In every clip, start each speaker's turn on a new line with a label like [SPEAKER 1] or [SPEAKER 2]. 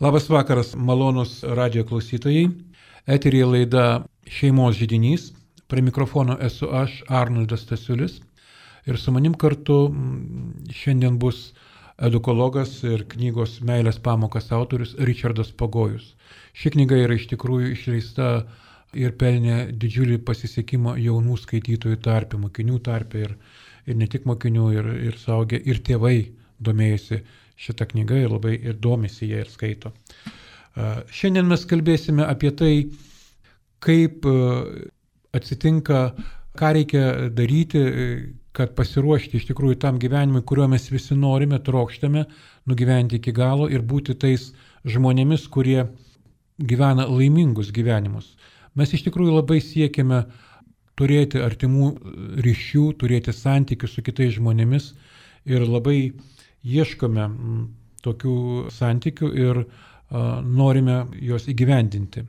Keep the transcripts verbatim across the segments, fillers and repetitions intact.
[SPEAKER 1] Labas vakaras, malonus radijo klausytojai. Eteryje laida Šeimos židinys. Prie mikrofono esu aš, Arnoldas Stasiulis. Ir su manim kartu šiandien bus edukologas ir knygos Meilės pamokas autorius Richardas Pagojus. Ši knyga yra iš tikrųjų išleista ir pelnė didžiulį pasisekimą jaunų skaitytojų tarpe, mokinių tarpe ir, ir ne tik mokinių, ir, ir suaugę, ir tėvai domėjosi šitą knygą ir labai ir domisi ją ir skaito. Šiandien mes kalbėsime apie tai, kaip atsitinka, ką reikia daryti, kad pasiruošti iš tikrųjų tam gyvenimui, kuriuo mes visi norime, trokštame nugyventi iki galo ir būti tais žmonėmis, kurie gyvena laimingus gyvenimus. Mes iš tikrųjų labai siekiame turėti artimų ryšių, turėti santykius su kitais žmonėmis ir labai ieškome tokių santykių ir a, norime juos įgyvendinti.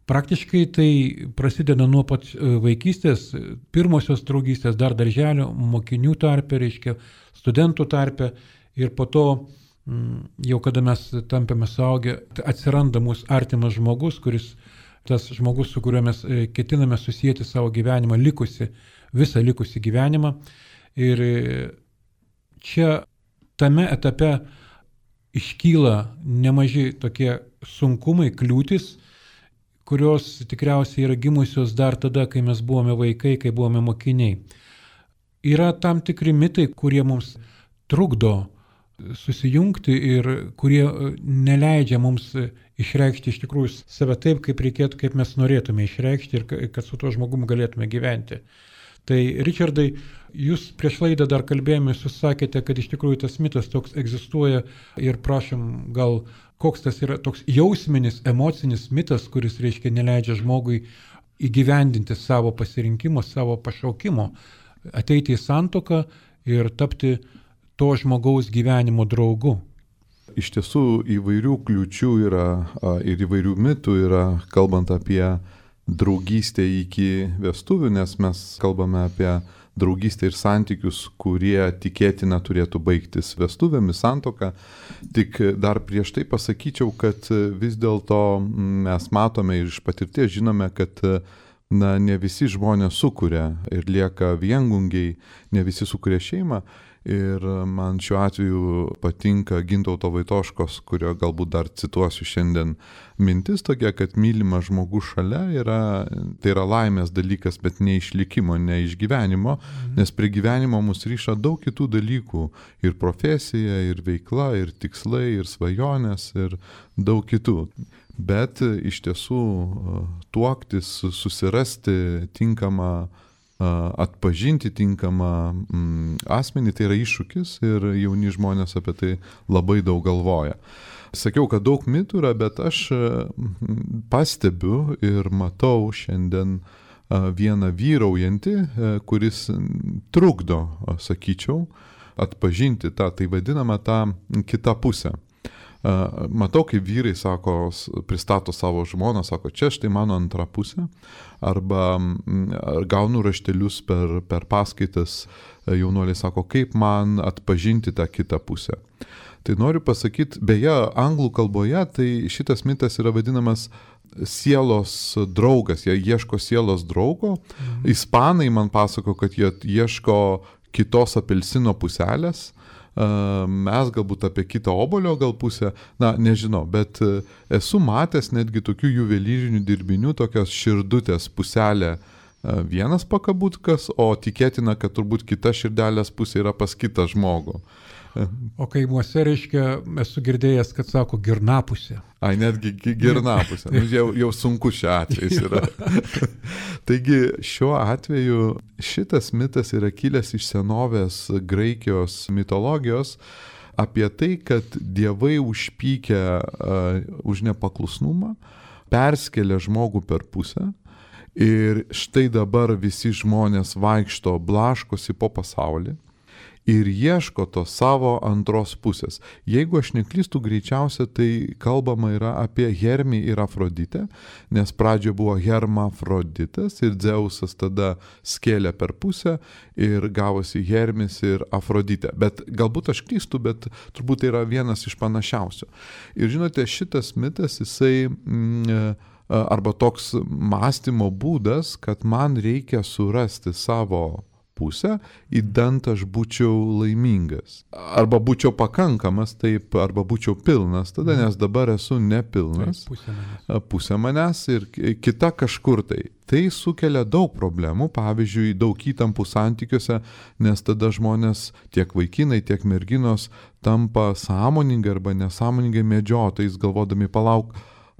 [SPEAKER 1] Praktiškai tai prasideda nuo pat vaikystės, pirmosios draugystės, dar darželio, mokinių tarpe, reiškia studentų tarpe ir po to, jau kada mes tampame suaugę, atsiranda mūsų artimas žmogus, kuris, tas žmogus, su kuriuo mes ketiname susijęti savo gyvenimą, likusi, visą likusį gyvenimą. Ir čia tame etape iškyla nemaži tokie sunkumai, kliūtis, kurios tikriausiai yra gimusios dar tada, kai mes buvome vaikai, kai buvome mokiniai. Yra tam tikri mitai, kurie mums trukdo susijungti ir kurie neleidžia mums išreikšti iš tikrųjų save taip, kaip reikėtų, kaip mes norėtume išreikšti ir kad su tuo žmogum galėtume gyventi. Tai, Richardai, jūs prieš laidą dar kalbėjome, jūs sakėte, kad iš tikrųjų tas mitas toks egzistuoja ir prašom, gal koks tas yra toks jausminis, emocinis mitas, kuris, reiškia, neleidžia žmogui įgyvendinti savo pasirinkimo, savo pašaukimo, ateiti į santuoką ir tapti to žmogaus gyvenimo draugu.
[SPEAKER 2] Iš tiesų įvairių kliūčių yra ir įvairių mitų yra, kalbant apie draugystę iki vestuvių, nes mes kalbame apie draugystę ir santykius, kurie tikėtina turėtų baigtis vestuvėmis, santuoka. Tik dar prieš tai pasakyčiau, kad vis dėlto mes matome ir iš patirties žinome, kad na, ne visi žmonės sukuria ir lieka viengungiai, ne visi sukuria šeimą. Ir man šiuo atveju patinka Gintauto Vaitoškos, kurio galbūt dar cituosiu šiandien, mintis tokia, kad mylimas žmogus šalia yra, tai yra laimės dalykas, bet ne išlikimo, ne išgyvenimo, nes prie gyvenimo mus ryša daug kitų dalykų, ir profesija, ir veikla, ir tikslai, ir svajonės, ir daug kitų. Bet iš tiesų tuoktis, susirasti tinkamą atpažinti tinkamą asmenį, tai yra iššūkis ir jauni žmonės apie tai labai daug galvoja. Sakiau, kad daug mitų yra, bet aš pastebiu ir matau šiandien vieną vyraujantį, kuris trukdo, sakyčiau, atpažinti tą, tai vadinamą tą kitą pusę. Matau, kaip vyrai sako, pristato savo žmoną, sako, čia štai mano antra pusė, arba gaunu raštelius per, per paskaitas, jaunuoliai sako, kaip man atpažinti tą kitą pusę. Tai noriu pasakyti, beje, anglų kalboje tai šitas mitas yra vadinamas sielos draugas, jie ieško sielos draugo. Mhm. Ispanai man pasako, kad jie ieško kitos apelsino puselės. Mes galbūt apie kitą obolio gal pusę, na, nežinau, bet esu matęs netgi tokių juvelyrinių dirbinių, tokios širdutės puselė vienas pakabutkas, o tikėtina, kad turbūt kita širdelės pusė yra pas kitą žmogų.
[SPEAKER 1] O kaimuose, reiškia, esu girdėjęs, kad sako girnapusė.
[SPEAKER 2] Ai, netgi girnapusė. Nu, jau, jau sunku šiuo atvejais yra. Taigi šiuo atveju šitas mitas yra kilęs iš senovės Graikijos mitologijos apie tai, kad dievai užpykę uh, už nepaklusnumą perskelia žmogų per pusę ir štai dabar visi žmonės vaikšto, blaškosi po pasaulį. ir ieško to savo antros pusės. Jeigu aš neklystu, greičiausia tai kalbama yra apie Hermį ir Afroditę, nes pradžioje buvo Hermafroditas ir Dzeusas tada skėlė per pusę ir gavosi Hermis ir Afroditė. Bet galbūt aš klystu, bet turbūt tai yra vienas iš panašiausių. Ir žinote, šitas mitas, jisai mm, arba toks mąstymo būdas, kad man reikia surasti savo pusę, įdant aš būčiau laimingas. Arba būčiau pakankamas, taip, arba būčiau pilnas, tada, nes dabar esu nepilnas.
[SPEAKER 1] Taip, pusė manęs.
[SPEAKER 2] Pusė manęs ir kita kažkur tai. Tai sukelia daug problemų, pavyzdžiui, daug įtampų santykiuose, nes tada žmonės, tiek vaikinai, tiek merginos, tampa sąmoningai arba nesąmoningai medžiotojais, galvodami, palauk,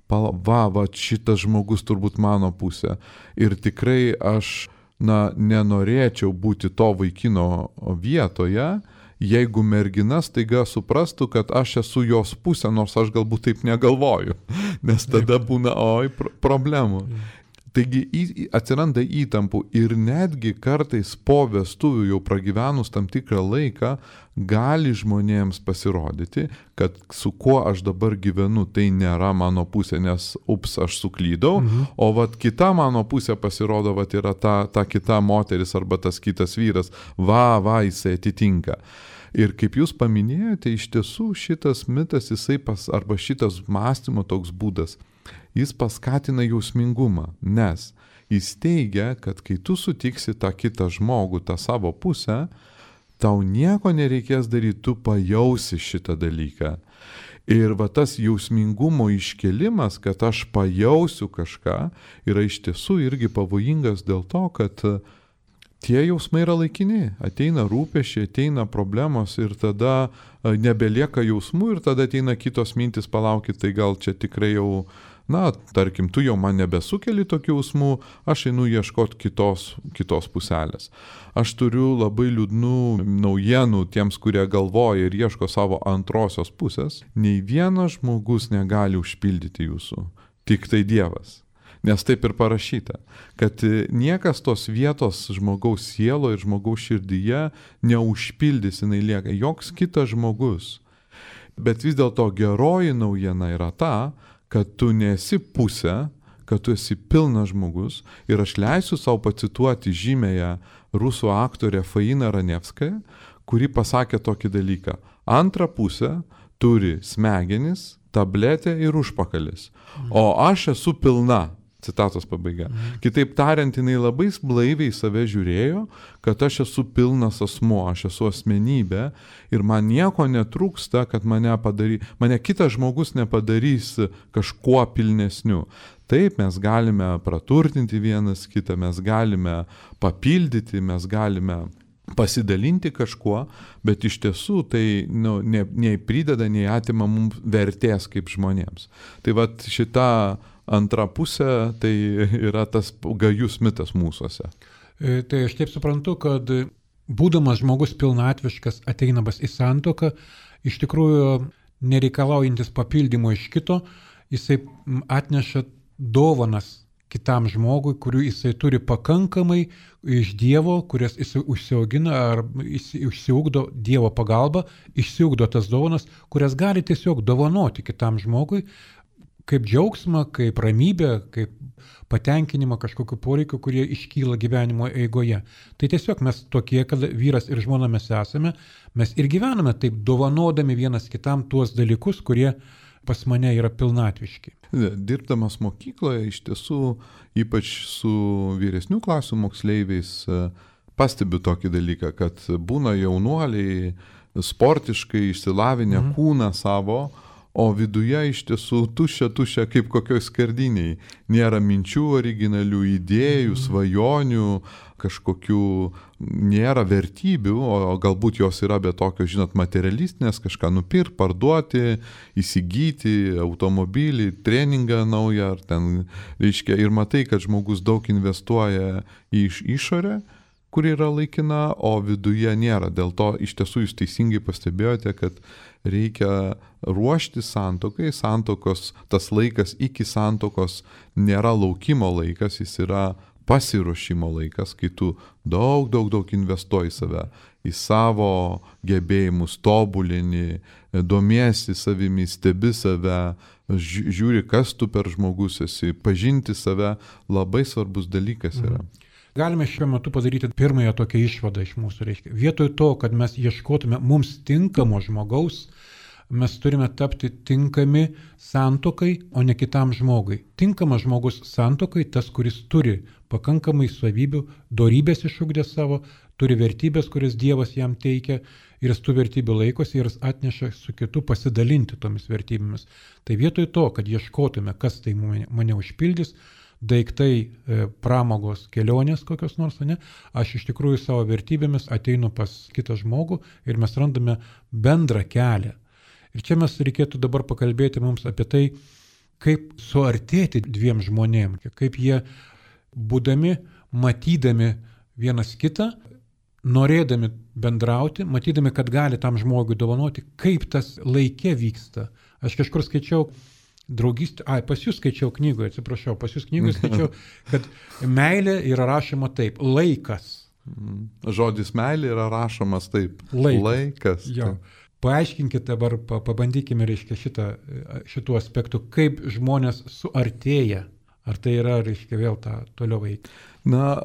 [SPEAKER 2] palauk, va, va, šitas žmogus turbūt mano pusė. Ir tikrai aš na, nenorėčiau būti to vaikino vietoje, jeigu mergina staiga suprastų, kad aš esu jos pusė, nors aš galbūt taip negalvoju, nes tada būna, oi, problemų. Taigi atsiranda įtampų ir netgi kartais po vestuvių jau pragyvenus tam tikrą laiką gali žmonėms pasirodyti, kad su kuo aš dabar gyvenu, tai nėra mano pusė, nes ups, aš suklydau, mhm. o vat kita mano pusė pasirodo, vat yra ta, ta kita moteris arba tas kitas vyras, va, va, jisai atitinka. Ir kaip jūs paminėjote, iš tiesų šitas mitas, jisai pas, arba šitas mąstymo toks būdas, jis paskatina jausmingumą, nes jis teigia, kad kai tu sutiksi tą kitą žmogų, tą savo pusę, tau nieko nereikės daryti, tu pajausi šitą dalyką. Ir va tas jausmingumo iškelimas, kad aš pajausiu kažką, yra iš tiesų irgi pavojingas dėl to, kad tie jausmai yra laikini, ateina rūpesčiai, ateina problemos ir tada nebelieka jausmų ir tada ateina kitos mintis, palaukit, tai gal čia tikrai jau, na, tarkim, tu jau man nebesukeli tokių jausmų, aš einu ieškoti kitos, kitos puselės. Aš turiu labai liūdnų naujienų tiems, kurie galvoja ir ieško savo antrosios pusės. Nei vienas žmogus negali užpildyti jūsų, tik tai Dievas. Nes taip ir parašyta, kad niekas tos vietos žmogaus sielo ir žmogaus širdyje neužpildys, jinai lieka, joks kitas žmogus. Bet vis dėlto geroji naujiena yra ta, kad tu nesi pusė, kad tu esi pilnas žmogus ir aš leisiu savo pacituoti žymėją rusų aktorę Fainą Ranevskają, kuri pasakė tokį dalyką. Antra pusė turi smegenis, tabletę ir užpakalis, o aš esu pilna. Citatos pabaiga. Kitaip tariant, jinai labai blaiviai save žiūrėjo, kad aš esu pilnas asmuo, aš esu asmenybė ir man nieko netrūksta, kad mane, padary, mane kitas žmogus nepadarys kažkuo pilnesniu. Taip, mes galime praturtinti vienas kitą, mes galime papildyti, mes galime pasidalinti kažkuo, bet iš tiesų tai nu, ne, nei prideda, nei atima mums vertės kaip žmonėms. Tai vat šita antra pusė, tai yra tas gajus mitas mūsuose.
[SPEAKER 1] Tai aš taip suprantu, kad būdamas žmogus pilnatviškas, ateinamas į santuoką, iš tikrųjų nereikalaujantis papildymo iš kito, jisai atneša dovanas kitam žmogui, kurių jisai turi pakankamai iš Dievo, kurias jisai užsiaugina ar išsiugdo Dievo pagalba, išsiugdo tas dovanas, kurias gali tiesiog dovanoti kitam žmogui, kaip džiaugsmą, kaip ramybę, kaip patenkinimą kažkokiu poreikiu, kurie iškyla gyvenimo eigoje. Tai tiesiog mes tokie, kad vyras ir žmona mes esame, mes ir gyvename taip dovanodami vienas kitam tuos dalykus, kurie pas mane yra pilnatviški.
[SPEAKER 2] Dirbdamas mokykloje, iš tiesų, ypač su vyresnių klasių moksleiviais, pastebiu tokį dalyką, kad būna jaunuoliai sportiškai išsilavinę mhm. kūną savo, o viduje iš tiesų tuščia, tuščia kaip kokioj skardiniai. Nėra minčių originalių, idėjų, svajonių, kažkokių nėra vertybių, o galbūt jos yra be tokio, žinot, materialistinės, kažką nupirkti, parduoti, įsigyti, automobilį, treningą naują, ar ten, reiškia, ir matai, kad žmogus daug investuoja į išorę, kuri yra laikina, o viduje nėra. Dėl to iš tiesų jūs teisingai pastebėjote, kad reikia ruošti santuokai, santokos, tas laikas iki santokos nėra laukimo laikas, jis yra pasiruošimo laikas, kai tu daug, daug, daug investuoji save. į savo gebėjimus, tobulini, domiesi savimi, stebi save, žiūri, kas tu per žmogus esi, pažinti save labai svarbus dalykas yra.
[SPEAKER 1] Galime šiuo metu padaryti pirmąją tokią išvadą iš mūsų, reiškia. Vietoj to, kad mes ieškotume mums tinkamo žmogaus, mes turime tapti tinkami santuokai, o ne kitam žmogui. Tinkamas žmogus santuokai tas, kuris turi pakankamai savybių, dorybės išugdė savo, turi vertybės, kurias Dievas jam teikia ir jis tų vertybių laikosi ir jis atneša su kitu pasidalinti tomis vertybėmis. Tai vietoj to, kad ieškotume, kas tai mane, mane užpildys, daiktai, pramogos, kelionės kokios nors, ne, aš iš tikrųjų savo vertybėmis ateinu pas kitą žmogų ir mes randame bendrą kelią. Ir čia mes reikėtų dabar pakalbėti mums apie tai, kaip suartėti dviem žmonėm, kaip jie, būdami, matydami vienas kitą, norėdami bendrauti, matydami, kad gali tam žmogui dovanoti, kaip tas laike vyksta. Aš kažkur skaičiau draugystę, ai, pas jūs skaičiau knygoje, atsiprašau, pas jūs knygoje skaičiau, kad meilė yra rašoma taip, laikas.
[SPEAKER 2] Žodis meilė yra rašomas taip,
[SPEAKER 1] laikas.
[SPEAKER 2] laikas
[SPEAKER 1] Jo. Paaiškinkite dabar, pabandykime, reiškia, šitą, šitų aspektų, kaip žmonės suartėja. Ar tai yra, reiškia, vėl tą toliau veikti?
[SPEAKER 2] Na,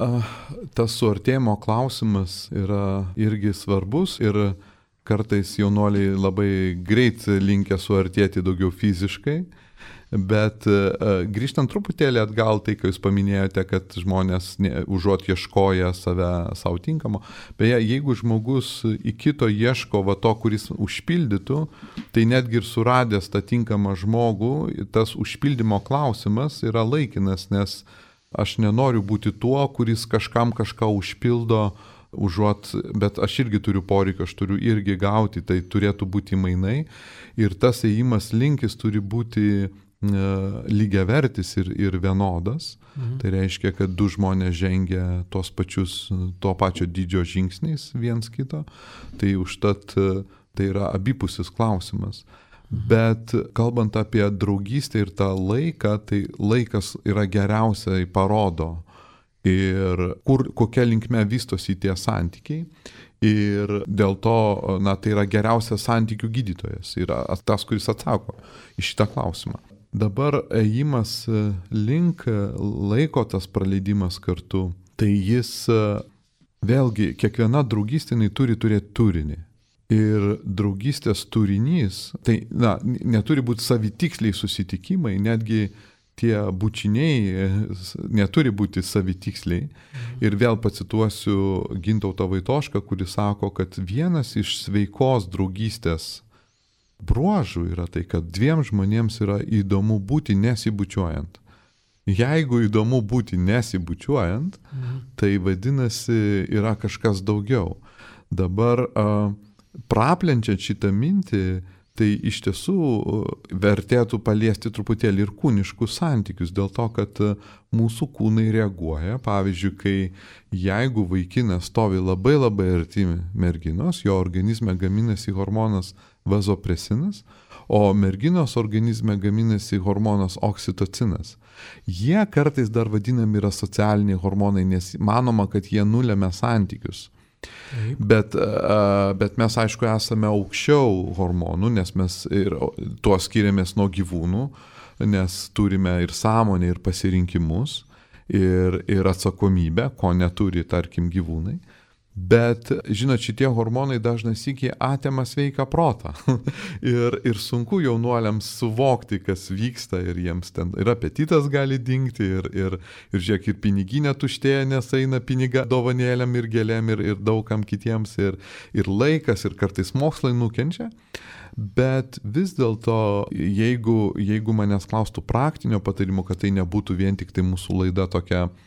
[SPEAKER 2] tas suartėjimo klausimas yra irgi svarbus ir kartais jaunuoliai labai greit linkę suartėti daugiau fiziškai, bet grįžtant truputėlį atgal, tai, kai jūs paminėjote, kad žmonės ne, užuot ieškoja save savo tinkamo, beje, jeigu žmogus į kito ieško va to, kuris užpildytų, tai netgi ir suradęs tą tinkamą žmogų, tas užpildymo klausimas yra laikinas, nes aš nenoriu būti tuo, kuris kažkam kažką užpildo, užuot, bet aš irgi turiu poreikį, aš turiu irgi gauti, tai turėtų būti mainai ir tas ėjimas linkis turi būti lygiavertis ir, ir vienodas. Mhm. Tai reiškia, kad du žmonės žengia tos pačius, to pačio dydžio žingsniais viens kito, tai užtat tai yra abipusis klausimas. Mhm. Bet kalbant apie draugystę ir tą laiką, tai laikas yra geriausiai parodo ir kur, kokia linkme vystosi tie santykiai. Ir dėl to, na, tai yra geriausias santykių gydytojas, yra tas, kuris atsako į šitą klausimą. Dabar ėjimas link laiko, tas praleidimas kartu, tai jis vėlgi, kiekviena draugystė turi turėti turinį. Ir draugystės turinys, tai na, neturi būti savitiksliai susitikimai, netgi tie bučiniai neturi būti savitiksliai. Ir vėl pacituosiu Gintautą Vaitošką, kuris sako, kad vienas iš sveikos draugystės bruožų yra tai, kad dviem žmonėms yra įdomu būti nesibučiuojant. Jeigu įdomu būti nesibučiuojant, mhm. tai vadinasi yra kažkas daugiau. Dabar uh, praplenčiant šitą mintį, tai iš tiesų vertėtų paliesti truputėlį ir kūniškus santykius, dėl to, kad mūsų kūnai reaguoja. Pavyzdžiui, kai jeigu vaikinas stovi labai labai arti merginos, jo organizme gaminasi hormonas vazopresinas, o merginos organizme gaminasi hormonas oksitocinas. Jie kartais dar vadinami yra socialiniai hormonai, nes manoma, kad jie nulemia santykius. Bet, bet mes, aišku, esame aukščiau hormonų, nes mes ir tuo skiriamės nuo gyvūnų, nes turime ir sąmonę, ir pasirinkimus, ir, ir atsakomybę, ko neturi, tarkim, gyvūnai. Bet, žinot, šitie hormonai dažnai sykiai atima sveiką protą. ir, ir sunku jaunuoliams suvokti, kas vyksta, ir jiems ten ir apetitas gali dingti, ir, ir, ir žiūrėk, ir piniginė tuštėja, nes eina piniga dovanėlėm ir gėlėm ir, ir daugam kitiems, ir, ir laikas, ir kartais mokslai nukenčia. Bet vis dėlto, jeigu, jeigu manęs klaustų praktinio patarimo, kad tai nebūtų vien tik tai mūsų laida tokia uh,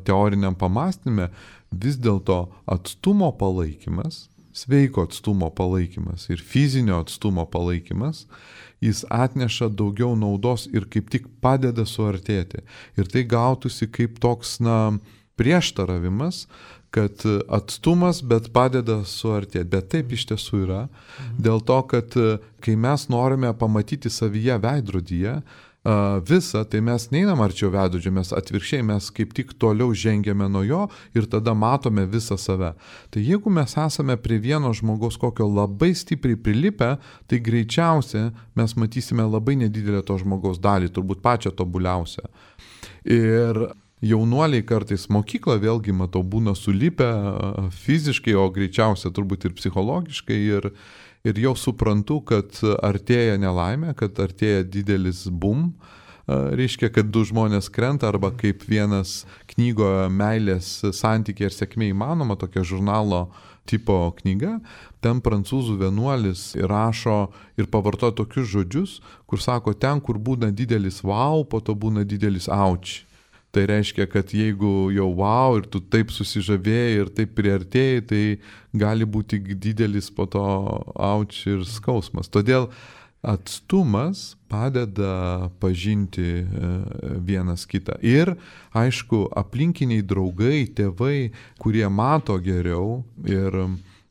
[SPEAKER 2] teoriniam pamastymė, vis dėlto atstumo palaikymas, sveiko atstumo palaikymas ir fizinio atstumo palaikymas, jis atneša daugiau naudos ir kaip tik padeda suartėti. Ir tai gautųsi kaip toks, na, prieštaravimas, kad atstumas, bet padeda suartėti. Bet taip iš tiesų yra, dėl to, kad kai mes norime pamatyti savyje veidrodyje, visą, tai mes neinam arčiau veidrodžio, mes atvirkščiai, mes kaip tik toliau žengiame nuo jo ir tada matome visą save. Tai jeigu mes esame prie vieno žmogaus kokio labai stipriai prilipę, tai greičiausiai mes matysime labai nedidelę to žmogaus dalį, turbūt pačią tobuliausią. Ir jaunuoliai kartais mokyklą, vėlgi matau, būna sulipę fiziškai, o greičiausiai turbūt ir psichologiškai ir Ir jau suprantu, kad artėja nelaimė, kad artėja didelis bum, reiškia, kad du žmonės krenta, arba kaip vienas knygoje meilės santykiai ir sėkmė įmanoma, tokia žurnalo tipo knyga, ten prancūzų vienuolis rašo ir pavartoja tokius žodžius, kur sako, ten, kur būna didelis wow, po to būna didelis auč. Tai reiškia, kad jeigu jau wow ir tu taip susižavėjai ir taip priartėjai, tai gali būti didelis po to auč ir skausmas. Todėl atstumas padeda pažinti vienas kitą. Ir, aišku, aplinkiniai draugai, tėvai, kurie mato geriau ir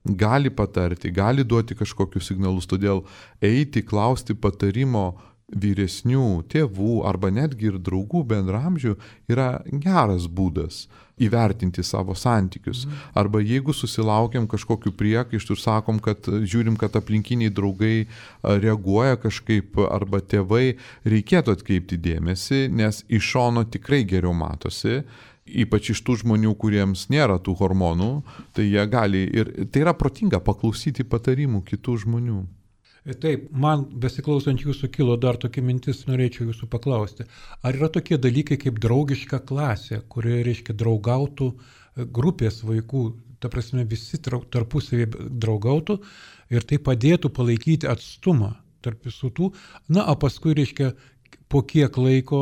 [SPEAKER 2] gali patarti, gali duoti kažkokius signalus. Todėl eiti, klausti patarimo vyresnių tėvų arba netgi ir draugų bendramžių yra geras būdas įvertinti savo santykius. Arba jeigu susilaukiam kažkokiu priekaištu ir sakom, kad žiūrim, kad aplinkiniai draugai reaguoja kažkaip arba tėvai, reikėtų atkreipti dėmesį, nes iš šono tikrai geriau matosi. Ypač iš tų žmonių, kuriems nėra tų hormonų, tai jie gali ir tai yra protinga paklausyti patarimų kitų žmonių.
[SPEAKER 1] Taip, man besiklausant jūsų kilo dar tokia mintis, norėčiau jūsų paklausti. Ar yra tokie dalykai kaip draugiška klasė, kurioje, reiškia, draugautų grupės vaikų, ta prasme visi tarpusavį draugautų ir tai padėtų palaikyti atstumą tarp visų tų, na, o paskui, reiškia, po kiek laiko,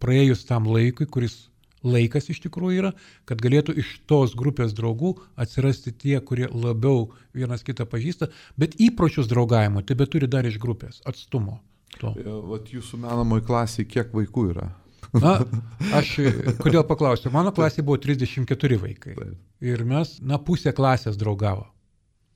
[SPEAKER 1] praėjus tam laikui, kuris laikas iš tikrųjų yra, kad galėtų iš tos grupės draugų atsirasti tie, kurie labiau vienas kitą pažįsta, bet įpročius draugavimo tebe turi dar iš grupės, atstumo. To.
[SPEAKER 2] Vat jūsų menamoji klasė, kiek vaikų yra?
[SPEAKER 1] Na, aš kodėl paklausiu, mano klasė buvo trisdešimt keturi vaikai. Taip. Ir mes, na, pusę klasės draugavo.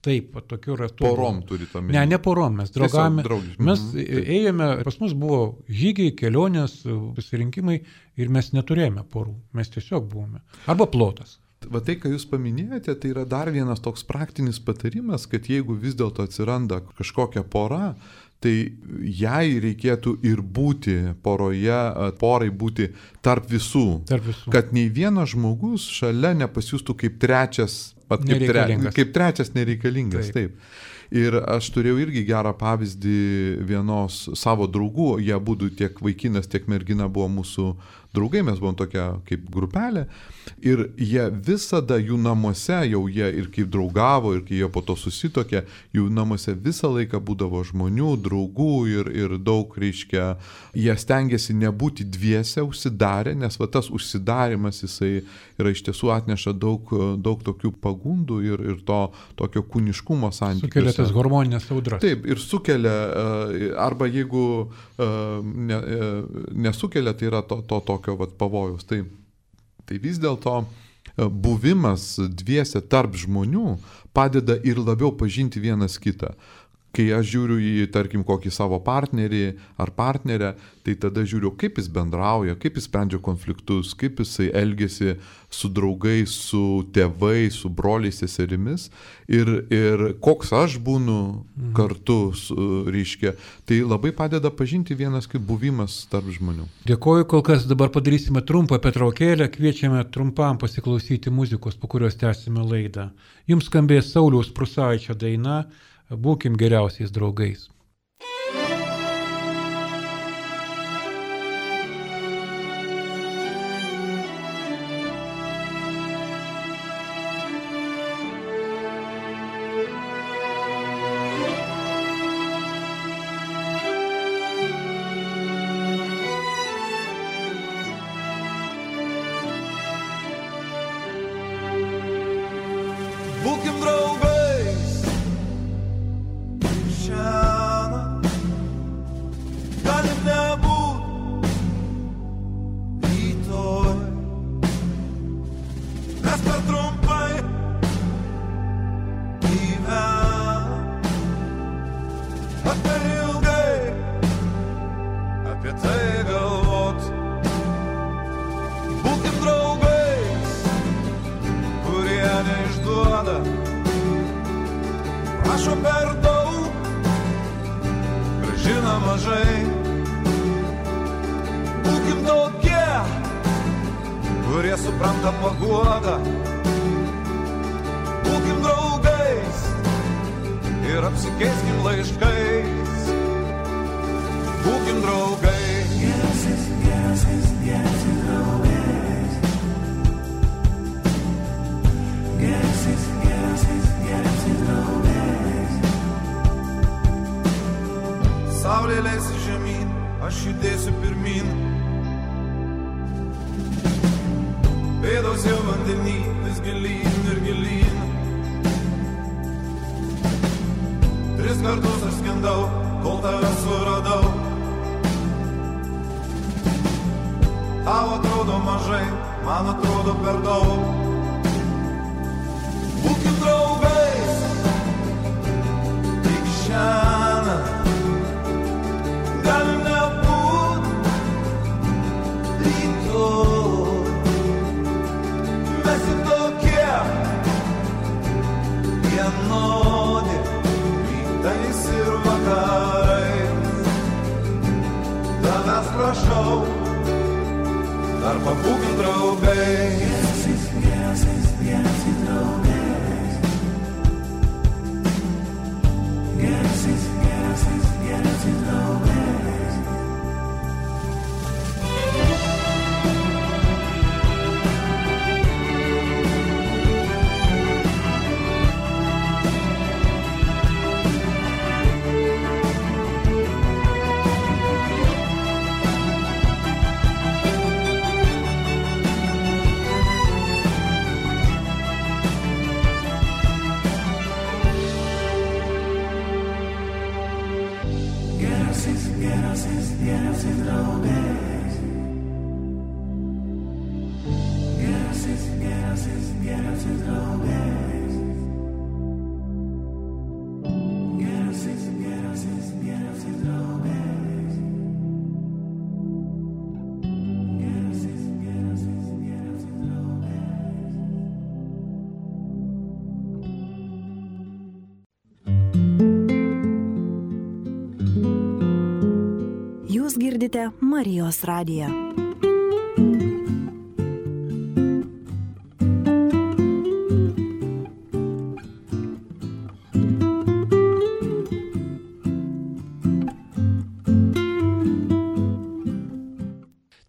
[SPEAKER 1] Taip, tokių ratų.
[SPEAKER 2] Porom turite omeny?
[SPEAKER 1] Ne, ne porom, mes draugavome. Mes ėjome, pas mus buvo žygiai, kelionės, pasirinkimai ir mes neturėjome porų, mes tiesiog buvome. Arba plotas.
[SPEAKER 2] Va tai, ką jūs paminėjote, tai yra dar vienas toks praktinis patarimas, kad jeigu vis dėlto atsiranda kažkokia pora, tai jai reikėtų ir būti poroje, porai būti tarp visų.
[SPEAKER 1] Tarp visų.
[SPEAKER 2] Kad nei vienas žmogus šalia nepasijustų kaip trečias, kaip, tre, kaip trečias nereikalingas. Taip. Taip. Ir aš turėjau irgi gerą pavyzdį vienos savo draugų, jie būdų tiek vaikinas, tiek mergina buvo mūsų draugai, mes buvom tokia kaip grupelė ir jie visada jų namuose, jau jie ir kaip draugavo, ir kai jie po to susitokė, jų namuose visą laiką būdavo žmonių, draugų ir, ir daug, reiškia, jie stengiasi nebūti dviese užsidarę, nes va tas užsidarimas jisai yra iš tiesų atneša daug, daug tokių pagundų ir, ir to tokio kūniškumo santykiuose.
[SPEAKER 1] Sukelia tas hormoninės audras.
[SPEAKER 2] Taip, ir sukelia, arba jeigu ne, nesukelia, tai yra to, to tokio vat, pavojaus. Tai, tai vis dėlto buvimas dviese tarp žmonių padeda ir labiau pažinti vienas kitą. Kai aš žiūriu į, tarkim, kokį savo partnerį ar partnerę, tai tada žiūriu, kaip jis bendrauja, kaip jis sprendžia konfliktus, kaip jisai elgiasi su draugais, su tėvais, su broliais, seserimis ir, ir koks aš būnu kartu, su, reiškia. Tai labai padeda pažinti vienas kaip buvimas tarp žmonių.
[SPEAKER 1] Dėkoju, kol kas dabar padarysime trumpą pertraukėlę, kviečiame trumpam pasiklausyti muzikos, po kurios tęsime laidą. Jums skambės Sauliaus Prūsaičio daina Būkim geriausiais draugais.
[SPEAKER 3] Būkim draugais, šiandien. mažai. Būkim tokie, kurie supranta paguodą. Būkim draugais ir apsikeiskim laiškais. Būkim draugais. Geriausiais, geriausiais, geriausiais draugais. Geriausiais, geriausiais, geriausiais draugais. Saulė leisi žemyn, aš judėsiu pirmin. Pėdos jau vandenį, vis gilyn ir gilyn. Tris kartus aš skendau, kol tave suradau. Tau atrodo mažai, man atrodo per daug. Būkim draugais, tik šiandien. Galim nebūt rytoj. Mes juk tokie vienodi, rytais ir vakarais. Tavęs prašau, dar pabūkim draugais. Geriausiais, geriausiais, geriausiais draugais. Geriausiais, geriausiais, geriausiais draugais.
[SPEAKER 4] Jūs girdite Marijos radiją.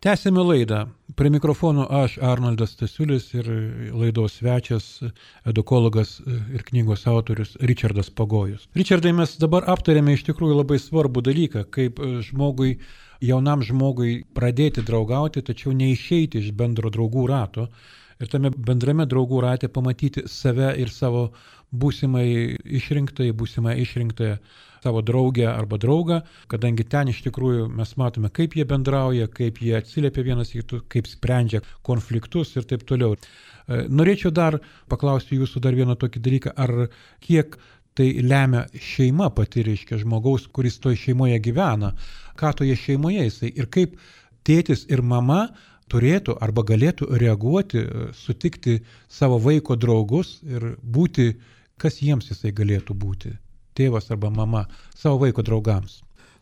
[SPEAKER 1] Tęsėme laidą. Prie mikrofono aš, Arnoldas Stasiulis, ir laidos svečias, edukologas ir knygos autorius Ričardas Pagojus. Ričardai, mes dabar aptarėme iš tikrųjų labai svarbų dalyką, kaip žmogui, jaunam žmogui pradėti draugauti, tačiau neišeiti iš bendro draugų rato ir tame bendrame draugų rate pamatyti save ir savo būsimai išrinktai, būsimai išrinktąją savo draugę arba draugą, kadangi ten iš tikrųjų mes matome, kaip jie bendrauja, kaip jie atsiliepia vienas į kitus, kaip sprendžia konfliktus ir taip toliau. Norėčiau dar paklausti jūsų dar vieną tokį dalyką, ar kiek tai lemia šeima pati, reiškia žmogaus, kuris toje šeimoje gyvena, ką toje šeimoje jisai ir kaip tėtis ir mama turėtų arba galėtų reaguoti, sutikti savo vaiko draugus ir būti, kas jiems jisai galėtų būti. Tėvas arba mama savo vaiko draugams.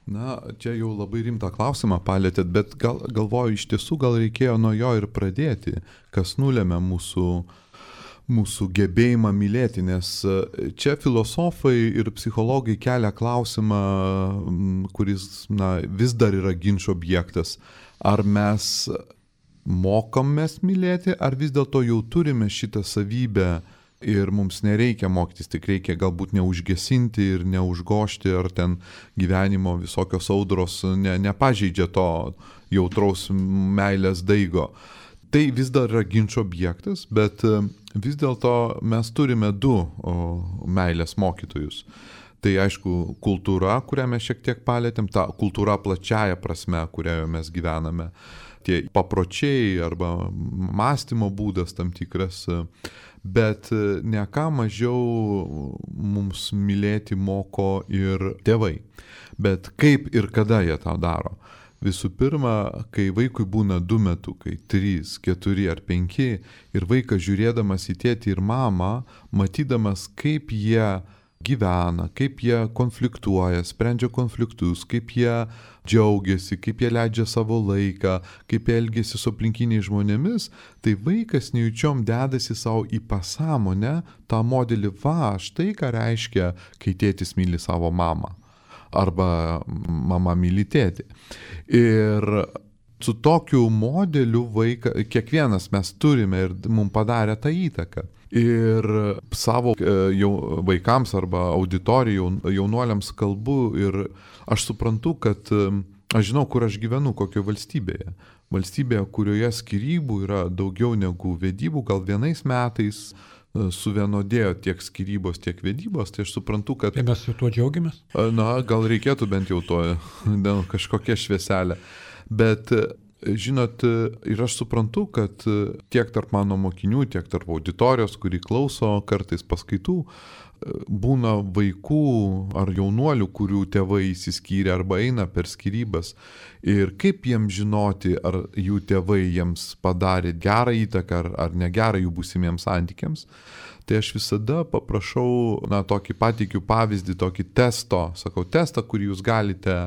[SPEAKER 2] Na, čia jau labai rimtą klausimą palėtėt, bet gal, galvoju, iš tiesų gal reikėjo nuo jo ir pradėti, kas nulėmė mūsų, mūsų gebėjimą mylėti, nes čia filosofai ir psichologai kelia klausimą, kuris na, vis dar yra ginčo objektas. Ar mes mokomės mylėti, ar vis dėlto jau turime šitą savybę ir mums nereikia mokytis, tik reikia galbūt neužgesinti ir neužgošti, ar ten gyvenimo visokios audros ne, nepažeidžia to jautraus meilės daigo. Tai vis dar yra ginčo objektas, bet vis dėlto mes turime du o, meilės mokytojus. Tai aišku, kultūra, kurią mes šiek tiek palėtėm, ta kultūra plačiaja prasme, kurioje mes gyvename, tie papročiai arba mąstymo būdas tam tikras, bet ne ką mažiau mums mylėti moko ir tėvai. Bet kaip ir kada jie tą daro? Visų pirma, kai vaikui būna du metukai, trys, keturi ar penki, ir vaikas žiūrėdamas į tėtį ir mamą, matydamas, kaip jie gyvena, kaip jie konfliktuoja, sprendžia konfliktus, kaip jie džiaugiasi, kaip jie leidžia savo laiką, kaip jie elgiasi su aplinkiniais žmonėmis, tai vaikas nejučiom dedasi savo į pasąmonę tą modelį, va, štai ką reiškia, kai tėtis myli savo mamą arba mama myli tėtį. Ir su tokiu modeliu vaiką, kiekvienas mes turime ir mums padarė tą įtaką. Ir savo jau vaikams arba auditorijai, jaunuoliams kalbu ir aš suprantu, kad aš žinau, kur aš gyvenu, kokioje valstybėje. Valstybėje, kurioje skyrybų yra daugiau negu vedybų, gal vienais metais suvienodėjo tiek skyrybos, tiek vedybos, tai aš suprantu, kad...
[SPEAKER 1] Tai mes su tuo džiaugiamės?
[SPEAKER 2] Na, gal reikėtų bent jau to, kažkokia švieselė. Bet... Žinot, ir aš suprantu, kad tiek tarp mano mokinių, tiek tarp auditorijos, kuri klauso kartais paskaitų, būna vaikų ar jaunuolių, kurių tėvai įsiskyrė arba eina per skyrybas. Ir kaip jiems žinoti, ar jų tėvai jiems padarė gerą įtaką ar, ar negerą jų būsimiems santykiams. Tai aš visada paprašau, na, tokį pateikiu pavyzdį, tokį testo, sakau, testą, kurį jūs galite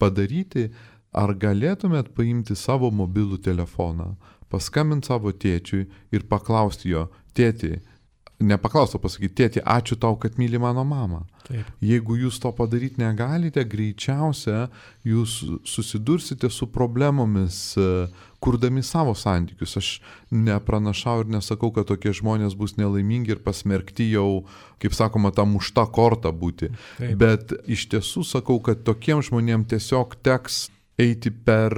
[SPEAKER 2] padaryti. Ar galėtumėt paimti savo mobilų telefoną, paskambinti savo tėčiui ir paklausti jo, tėti, nepaklausti, o pasakyti, tėti, ačiū tau, kad myli mano mamą.
[SPEAKER 1] Taip.
[SPEAKER 2] Jeigu jūs to padaryti negalite, greičiausia jūs susidursite su problemomis, kurdami savo santykius. Aš nepranašau ir nesakau, kad tokie žmonės bus nelaimingi ir pasmerkti jau, kaip sakoma, tą muštą kortą būti.
[SPEAKER 1] Taip.
[SPEAKER 2] Bet iš tiesų sakau, kad tokiems žmonėms tiesiog teks eiti per,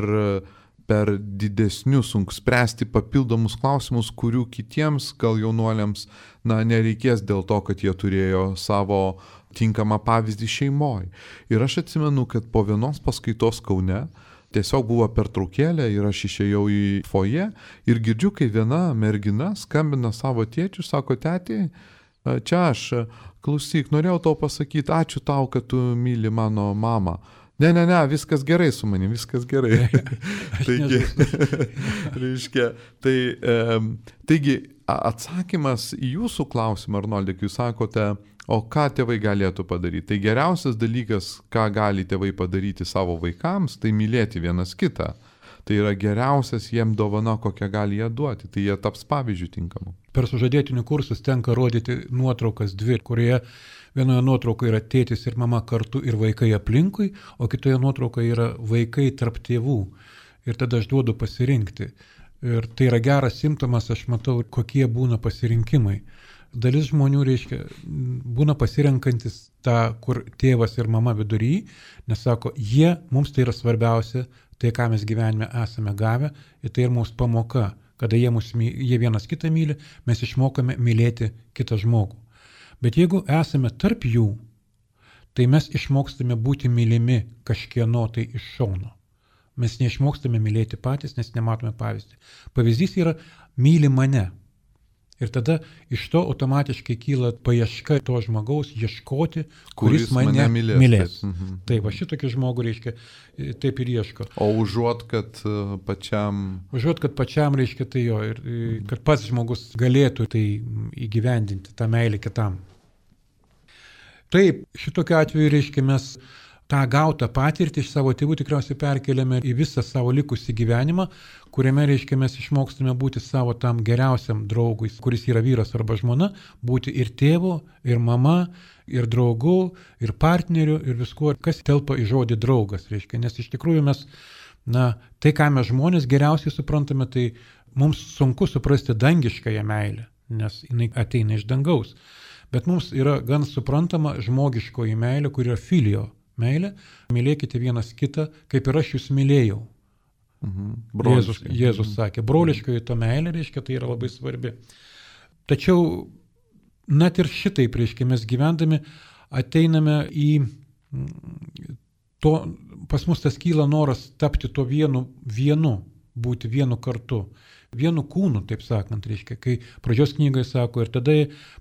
[SPEAKER 2] per didesnius, sunku spręsti papildomus klausimus, kurių kitiems gal jaunuoliams na, nereikės dėl to, kad jie turėjo savo tinkamą pavyzdį šeimoje. Ir aš atsimenu, kad po vienos paskaitos Kaune tiesiog buvo pertraukėlė ir aš išėjau į foje ir girdžiu, kai viena mergina skambina savo tėčiui, sako, tėti, čia aš, klausyk, norėjau tau pasakyti, ačiū tau, kad tu myli mano mamą. Ne, ne, ne, viskas gerai su manim, viskas gerai. taigi, reiškia, tai, e, taigi, atsakymas į jūsų klausimą, Arnoldai, jūs sakote, o ką tėvai galėtų padaryti. Tai geriausias dalykas, ką gali tėvai padaryti savo vaikams, tai mylėti vienas kitą. Tai yra geriausias jiem dovana, kokią gali jie duoti. Tai jie taps pavyzdžių tinkamu.
[SPEAKER 1] Per sužadėtinių kursus tenka rodyti nuotraukas dvi, kurioje vienoje nuotraukoje yra tėtis ir mama kartu ir vaikai aplinkui, o kitoje nuotraukoje yra vaikai tarp tėvų. Ir tada aš duodu pasirinkti. Ir tai yra geras simptomas, aš matau, kokie būna pasirinkimai. Dalis žmonių, reiškia, būna pasirenkantis tą, kur tėvas ir mama vidury, nes sako, jie, mums tai yra svarbiausia, tai ką mes gyvenime esame gavę, ir tai ir mūsų pamoka. Kada jie, mus, jie vienas kitą myli, mes išmokame mylėti kitą žmogų. Bet jeigu esame tarp jų, tai mes išmokstame būti mylimi kažkieno tai iš šono. Mes neišmokstame mylėti patys, nes nematome pavyzdį. Pavyzdys yra myli mane. Ir tada iš to automatiškai kyla paieška to žmogaus ieškoti, kuris, kuris mane, mane mylės. mylės.
[SPEAKER 2] Taip, mhm.
[SPEAKER 1] Taip, va šitokį žmogų, reiškia, taip ir ieško.
[SPEAKER 2] O užuot, kad pačiam...
[SPEAKER 1] Užuot, kad pačiam, reiškia, tai jo, ir kad pats žmogus galėtų tai įgyvendinti, tą meilę kitam. Taip, šitokiu atveju, reiškia, mes tą gautą patirtį iš savo tėvų tikriausiai perkeliame į visą savo likusį gyvenimą, kuriame, reiškia, mes išmokstame būti savo tam geriausiam draugui, kuris yra vyras arba žmona, būti ir tėvu, ir mama, ir draugu, ir partneriu, ir viskuo, kas telpa į žodį draugas, reiškia. Nes iš tikrųjų mes, na, tai, ką mes žmonės geriausiai suprantame, tai mums sunku suprasti dangiškąją meilę, nes jinai ateina iš dangaus. Bet mums yra gan suprantama žmogiškoji meilė, kuri yra filio meilė. Mylėkite vienas kitą, kaip ir aš jūs mylėjau.
[SPEAKER 2] Mhm.
[SPEAKER 1] Jėzus, Jėzus sakė, broliškoji to meilė, reiškia, tai yra labai svarbi. Tačiau, net ir šitaip, reiškia, mes gyvendami ateiname į to, pas mus tas kyla noras tapti to vienu, vienu, būti vienu kartu, vienu kūnu, taip sakant, reiškia, kai pradžios knygai sako, ir tada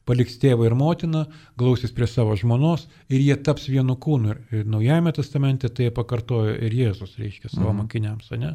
[SPEAKER 1] paliks tėvą ir motiną, glausis prie savo žmonos ir jie taps vienu kūnu. Ir Naujajame testamente tai pakartojo ir Jėzus, reiškia, savo mm. mokiniams, ne?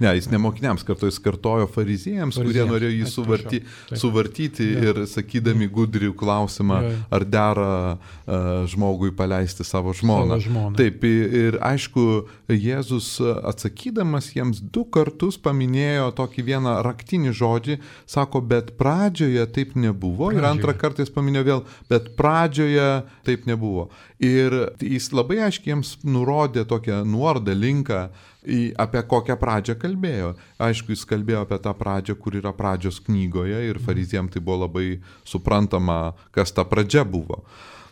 [SPEAKER 2] Ne, jis ne mokiniams kartojo, jis kartojo fariziejams, kurie norėjo jį suvarty, suvartyti ja. ir sakydami gudrių klausimą, ja. ar dera uh, žmogui paleisti savo žmoną.
[SPEAKER 1] Savo žmoną.
[SPEAKER 2] Taip, ir aišku, Jėzus atsakydamas jiems du kartus paminėjo tokį vieną raktinį žodį, sako, bet pradžioje taip nebuvo. Pradžioje. Ir antrą kartą jis paminėjo vėl, bet pradžioje taip nebuvo. Ir jis labai aiškiai jiems nurodė tokią nuorodą, linką, į, apie kokią pradžią kalbėjo. Aišku, jis kalbėjo apie tą pradžią, kur yra pradžios knygoje ir fariziejams tai buvo labai suprantama, kas ta pradžia buvo.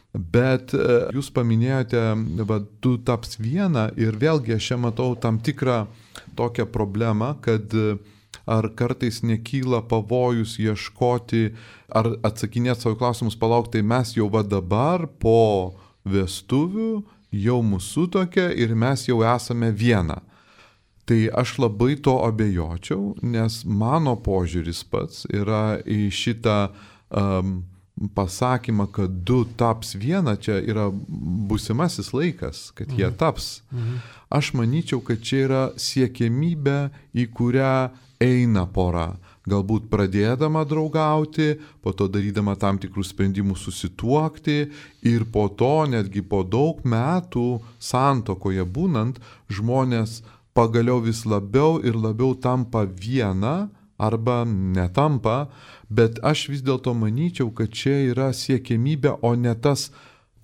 [SPEAKER 2] Bet jūs paminėjote, va, tu taps viena ir vėlgi aš čia matau tam tikrą tokią problemą, kad ar kartais nekyla pavojus ieškoti, ar atsakinėti savo klausimus, palauk, tai mes jau va dabar po vestuvių jau mūsų tokia ir mes jau esame viena. Tai aš labai to abejočiau, nes mano požiūris pats yra į šitą um, pasakymą, kad du taps viena, čia yra būsimasis laikas, kad jie taps. Mhm. Aš manyčiau, kad čia yra siekiamybė, į kurią eina pora. Galbūt pradėdama draugauti, po to darydama tam tikrus sprendimus susituokti ir po to, netgi po daug metų santuokoje būnant, žmonės pagaliau vis labiau ir labiau tampa viena arba netampa, bet aš vis dėlto manyčiau, kad čia yra siekiamybė, o ne tas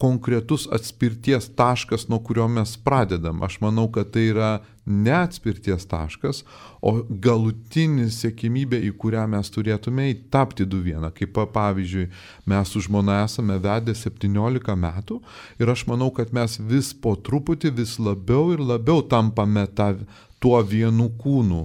[SPEAKER 2] konkretus atspirties taškas, nuo kurio mes pradedam. Aš manau, kad tai yra ne atspirties taškas, o galutinis siekimybė, į kurią mes turėtume tapti du vieną. Kaip pavyzdžiui, mes su žmona esame vedę septyniolika metų ir aš manau, kad mes vis po truputį, vis labiau ir labiau tampame ta, tuo vienu kūnu.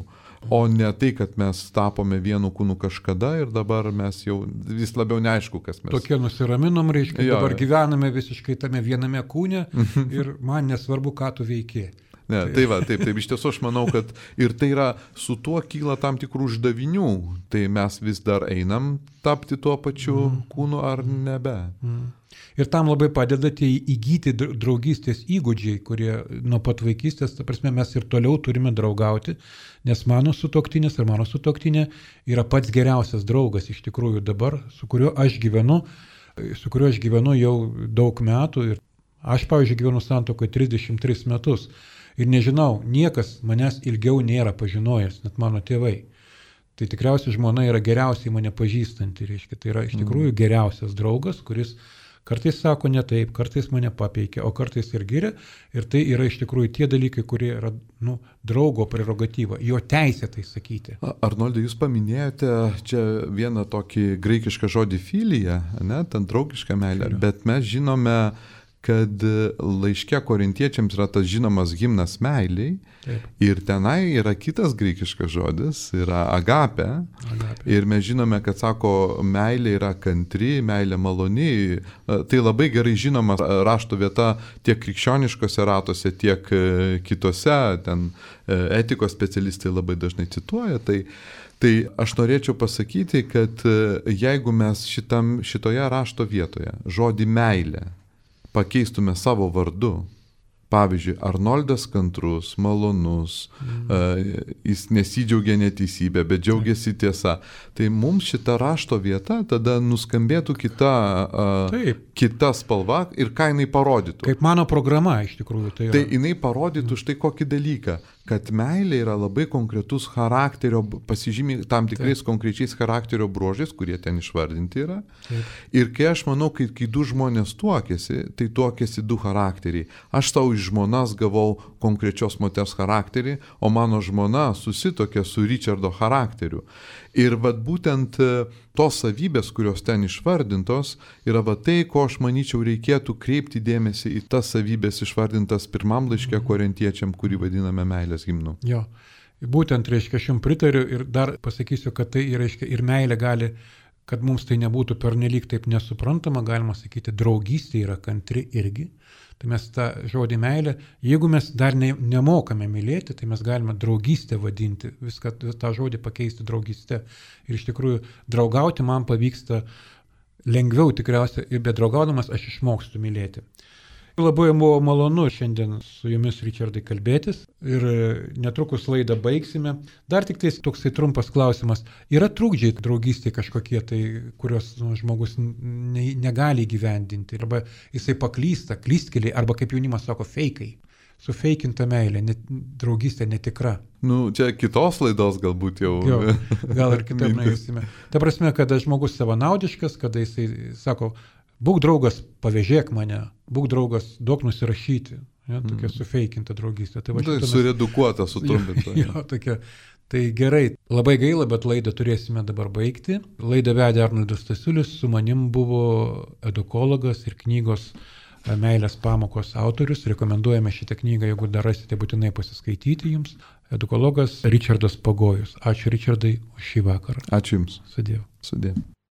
[SPEAKER 2] O ne tai, kad mes tapome vienu kūnu kažkada ir dabar mes jau vis labiau neaišku, kas mes.
[SPEAKER 1] Tokie nusiraminom, reiškia, jo. Dabar gyvename visiškai tame viename kūne ir man nesvarbu, ką tu veiki.
[SPEAKER 2] Ne, tai va, taip, taip, iš tiesų aš manau, kad ir tai yra, su tuo kyla tam tikrų uždavinių, tai mes vis dar einam tapti tuo pačiu mm. kūnu ar nebe.
[SPEAKER 1] Mm. Ir tam labai padeda tie įgyti draugystės įgūdžiai, kurie nuo pat vaikystės, ta prasme, mes ir toliau turime draugauti, nes mano sutuoktinis ar mano sutuoktinė yra pats geriausias draugas iš tikrųjų dabar, su kuriuo aš gyvenu, su kuriuo aš gyvenu jau daug metų ir aš, pavyzdžiui, gyvenu santuokoje trisdešimt tris metus ir nežinau, niekas manęs ilgiau nėra pažinojęs, net mano tėvai. Tai tikriausiai žmona yra geriausiai mane pažįstanti, reiškia, tai yra iš tikrųjų geriausias draugas, kuris kartais sako ne taip, kartais mane papeikia, o kartais ir giria. Ir tai yra iš tikrųjų tie dalykai, kurie yra nu, draugo prerogatyva, jo teisė tai sakyti.
[SPEAKER 2] Arnoldai, jūs paminėjote čia vieną tokį graikišką žodį filija, ne, ten draugišką meilę, bet mes žinome, kad laiške korintiečiams yra tas žinomas himnas meiliai. Taip. Ir tenai yra kitas graikiškas žodis, yra agape. agape. Ir mes žinome, kad sako, meilė yra kantri, meilė maloni. Tai labai gerai žinoma rašto vieta tiek krikščioniškose ratuose, tiek kitose, ten etikos specialistai labai dažnai cituoja. Tai, tai aš norėčiau pasakyti, kad jeigu mes šitam, šitoje rašto vietoje žodį meilė pakeistume savo vardu. Pavyzdžiui, Arnoldas kantrus, malonus, mm. uh, jis nesidžiaugia neteisybė, bet džiaugiasi tiesa. Tai mums šita rašto vieta tada nuskambėtų kita, uh, kita spalva ir ką jinai parodytų.
[SPEAKER 1] Kaip mano programa iš tikrųjų. Tai, yra.
[SPEAKER 2] Tai jinai parodytų mm. štai kokį dalyką, kad meilė yra labai konkretus charakterio, pasižymi tam tikrais Taip. Konkrečiais charakterio bruožais, kurie ten išvardinti yra. Taip. Ir kai aš manau, kai, kai du žmonės tuokėsi, tai tuokėsi du charakteriai. Aš tau iš žmonas gavau konkrečios moters charakterį, o mano žmona susitokė su Richardo charakteriu. Ir vat būtent tos savybės, kurios ten išvardintos, yra va tai, ko aš manyčiau reikėtų kreipti dėmesį į tas savybės išvardintas pirmam laiške korintiečiam, kurį vadiname meilės himnu.
[SPEAKER 1] Jo, būtent, reiškia, aš jums pritariu ir dar pasakysiu, kad tai, reiškia, ir meilė gali kad mums tai nebūtų pernelyg taip nesuprantama, galima sakyti, draugystė yra kantri irgi. Tai mes tą žodį meilę, jeigu mes dar ne, nemokame mylėti, tai mes galime draugystę vadinti, viską tą žodį pakeisti draugystę. Ir iš tikrųjų draugauti man pavyksta lengviau tikriausiai, bet draugaudamas aš išmokstu mylėti. Labai buvo malonu šiandien su jumis, Richardai, kalbėtis ir netrukus laidą baigsime. Dar tik tai toksai trumpas klausimas. Yra trukdžiai draugystė kažkokie, tai, kurios nu, žmogus ne, negali įgyvendinti, arba jisai paklysta, klystkeliai, arba kaip jaunimas sako, feikai. Sufeikinta meilė, net, draugystė netikra.
[SPEAKER 2] Nu, čia kitos laidos galbūt jau.
[SPEAKER 1] Jo, gal ir kitaip nueisime. Ta prasme, kada žmogus savanaudiškas, kada jisai sako, būk draugas, pavėžėk mane, būk draugas, duok nusirašyti. Ja, tokia mm. sufeikinta draugystė. Tai, va,
[SPEAKER 2] tai
[SPEAKER 1] mes...
[SPEAKER 2] suredukuota, sutrumpinta.
[SPEAKER 1] Jo, jo, tokia. Tai gerai, labai gaila, bet laidą turėsime dabar baigti. Laidą vedė Arnoldas Stasiulis, su manim buvo edukologas ir knygos Meilės pamokos autorius. Rekomenduojame šitą knygą, jeigu dar rasite, būtinai pasiskaityti jums. Edukologas Richardas Pagojus. Ačiū, Richardai, už šį vakarą.
[SPEAKER 2] Ačiū Jums.
[SPEAKER 1] Sudėjau.
[SPEAKER 2] Sudėjau.